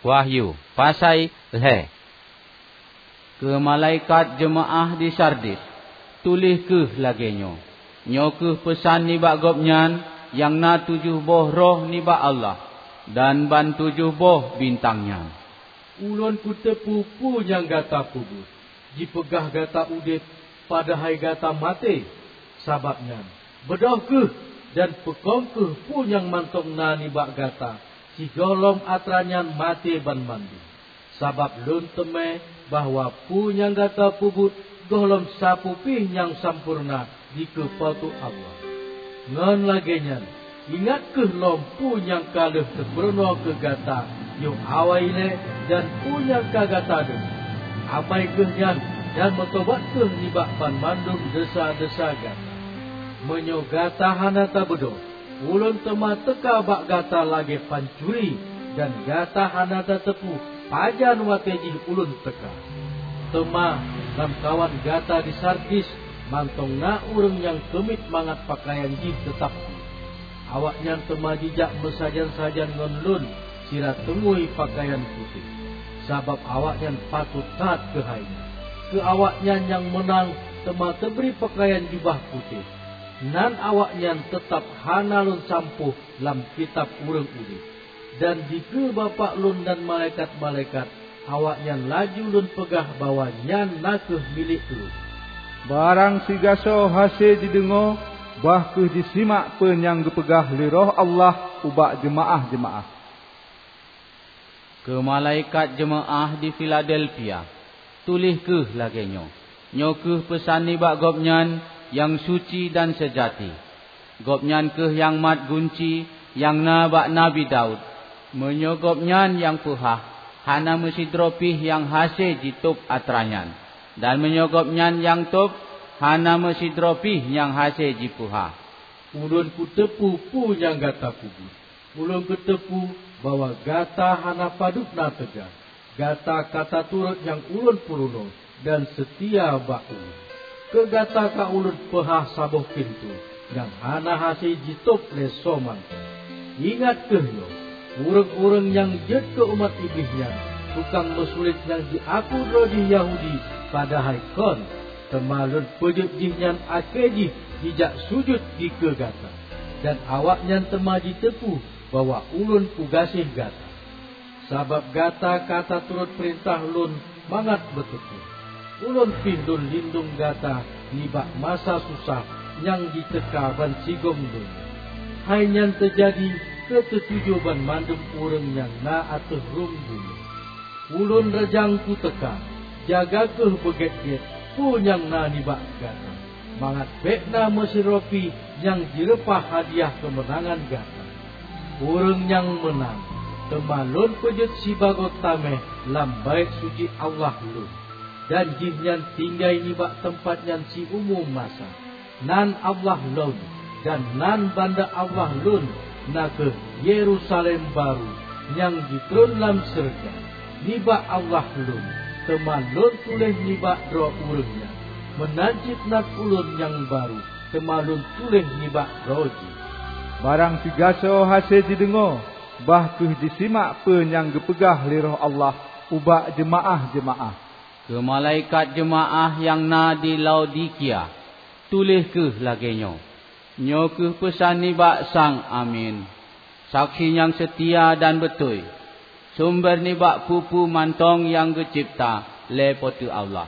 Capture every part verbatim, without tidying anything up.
Wahyu, pasai lhée. Keu malaikat jeumaáh di Sardis, tuléh kheueh lagée nyoe, "Nyoe kheueh peusan nibak Gobnyan nyang na tujoh boh roh nibak Allah, dan ban tujoh boh bintang nyan. Ulôn kuteupeue peue nyang gata peubuet. Jipeugah gata udeb, padahai gata maté. Sabab nyan, beudôh kheueh dan peukong kheueh peue nyang mantong na nibak gata, sigohlom atra nyan maté banmandum. Sabab lôn teumé bahwa peue nyang gata peubuet gohlom sapeue pih nyang sampoereuna dikeue Po teu Allah. Ngon lagée nyan, ingat kheueh lom peue nyang ka lheueh teupeurunoe keu gata yoh awai ilée dan peue nyang ka gata deungoe. Amai kheueh nyan dan meutobat kheueh nibak banmandum desya-desya gata. Meunyoe gata hana tabeudôh, Ulôn teuma teuka bak gata lagée pancuri, dan gata hana tateupeue pajan watée jih Ulôn teuka." Teuma lamkawan gata di Sardis mantong na ureuëng nyang keumiet mangat peukayan jih teutab pih. Awaknyan teuma jijak meusajan-sajan ngon Lôn sira teungui peukayan putéh, sabab awaknyan patot that keuhai nyan. Keu awaknyan nyang meunang teuma teubri peukayan jubah putéh. Nan awaknyan teutab hana Lôn sampôh lam kitab ureuëng udeb. Dan dikeue Bapak Lôn dan malaikat-malaikat, awaknyan laju Lôn peugah bahwa nyan na kheueh milék Lôn. Barang sigasoe hase jideungoe, bah kheueh jisimak peue nyang geupeugah lé Roh Allah ubak jeumaáh-jeumaáh. Keu malaikat jeumaáh di Filadelfia, tuléh kheueh lagée nyoe, "Nyoe kheueh peusan nibak Gobnyan nyang suci dan seujati. Gobnyan kheueh nyang mat gunci nyang na bak Nabi Daud. Meunyoe Gobnyan nyang peuhah, hana meusidroe pih nyang hase jitôb atra nyan, dan meunyoe Gobnyan nyang tôb, hana meusidroe pih nyang hase jipeuhah." Ulôn kuteupeue peue nyang gata peubuet. Ulôn kuteupeue bahwa gata hana padub na teuga. Gata ka taturot nyang Ulôn peurunoe dan seutia bak Ulôn. Keu gata ka Ulôn peuhah saboh pintoe nyang hana hase jitôb lé soe mantong. Ingat kheueh nyoe, ureuëng-ureuëng nyang jeuet keu umat Iblih nyan, tukang meusulet nyang jiaku droe jih Yahudi, padahai kon, teuma Lôn peujeuet jihnyan akhé jih jijak sujut dikeue gata. Dan awaknyan teuma jiteupeue bahwa Ulôn kugaséh gata, sabab gata ka taturot peurintah Lôn mangat beuteupeue. Ulôn pih Lôn lindong gata nibak masa susah nyang jiteuka bansigom donya. Hai nyan teujadi keu teutujoe banmandum ureuëng nyang na ateueh rhueng bumoe. Ulôn reujang kuteuka, jaga kheueh beugét-gét peue nyang na nibak gata, mangat bék na meusidroe pih nyang jireupah hadiah keumeunangan gata. Ureuëng nyang meunang, teuma Lôn peujeuet sibagoe taméh lam Baét Suci Allah Lôn, dan jihnyan tinggai nibak teumpat nyan siumu masa. Nan Allah Lôn, dan nan banda Allah Lôn, na kheueh Yerusalem barô nyang jitreun lam syeuruga, nibak Allah Lôn, teuma Lôn tuléh nibak droe ureuëng nyan. Meunan cit nan Ulôn nyang barô, teuma Lôn tuléh nibak droe jih. Barang sigasoe hase jideungoe, bah kheueh jisimak peue nyang geupeugah lé Roh Allah ubak jeumaáh-jeumaáh. Keu malaikat jeumaáh nyang na di Laodikia, tuléh kheueh lagée nyoe, "Nyoe kheueh peusan nibak Sang Amin, saksi nyang seutia dan beutôi, sumber nibak peue-peue mantong nyang geucebta lé Po teu Allah.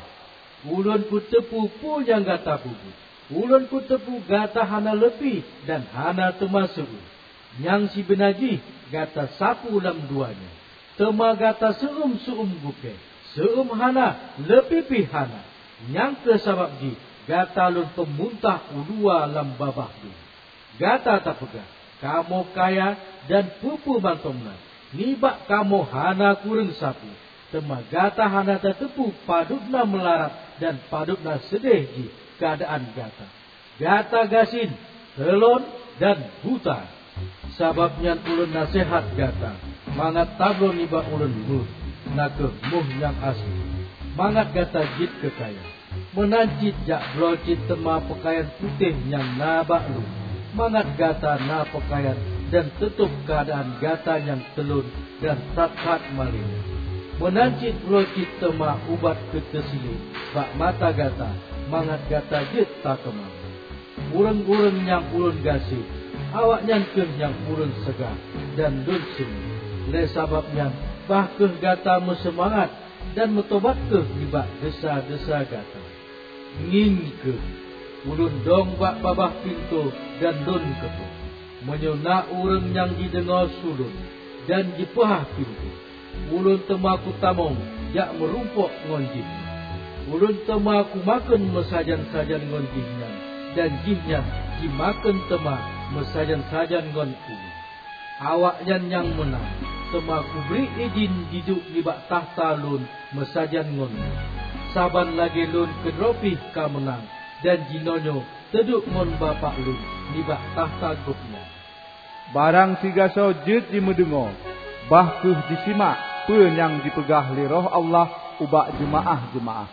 Ulôn kuteupeue peue nyang gata peubuet. Ulôn kuteupeue gata hana leupie dan hana teuma seu-uem. Nyang sibeuna jih gata sapeue lam dua nyoe, teuma gata seu-uem-seu-uem gukée, seu-uem hana, leupie pih hana. Nyang kheueh sabab jih gata Lôn peumuntah u luwa lam babah donya. Gata tapeugah, 'Kamoe kaya dan peue-peue mantong na, nibak kamoe hana kureueng sapeue.' Teuma gata hana tateupeue padub na meularat dan padub na seudeh jih keuadaan gata. Gata gasien, teulon, dan buta. Sabab nyan Ulôn naseuhat gata, mangat tabloe nibak Ulôn méuh, na kheueh méuh nyang aseuli, mangat gata jeuet keu kaya. Meunan cit jak bloe cit teuma peukayan putéh nyang na bak Lôn, mangat gata na peukayan dan teutôb keuadaan gata nyang teulon dan that-that malée nyan. Meunan cit uroe cit teuma ubat keu teusilet bak mata gata, mangat gata jeuet takeumang. Ureuëng-ureuëng nyang Ulôn gaséh, awaknyan kheueh nyang Ulôn seugah dan Lôn seumé. Lé sabab nyan, bah kheueh gata meuseumangat dan meutobat kheueh nibak desya-desya gata. Ngieng kheueh, Ulôn dong bak babah pintoe dan Lôn keupeuet. Meunyoe na ureuëng nyang jideungoe su Lôn dan jipeuhah pintoe, Ulôn teuma kutamong jak meurumpok ngon jih. Ulôn teuma kumakheun meusajan-sajan ngon jihnyan, dan jihnyan jimakheun teuma meusajan-sajan ngon Ulôn. Awaknyan nyang meunang teuma kubri idhin jiduek nibak takhta Lôn meusajan ngon Lôn, saban lagée Lôn keudroe pih ka meunang dan jinoenyoe teuduek ngon Bapak Lôn nibak takhta Gobnyan. Barang sigasoe jeuet jimeudeungoe, bah kheueh jisimak peue nyang jipeugah lé Roh Allah ubak jeumaáh-jeumaáh.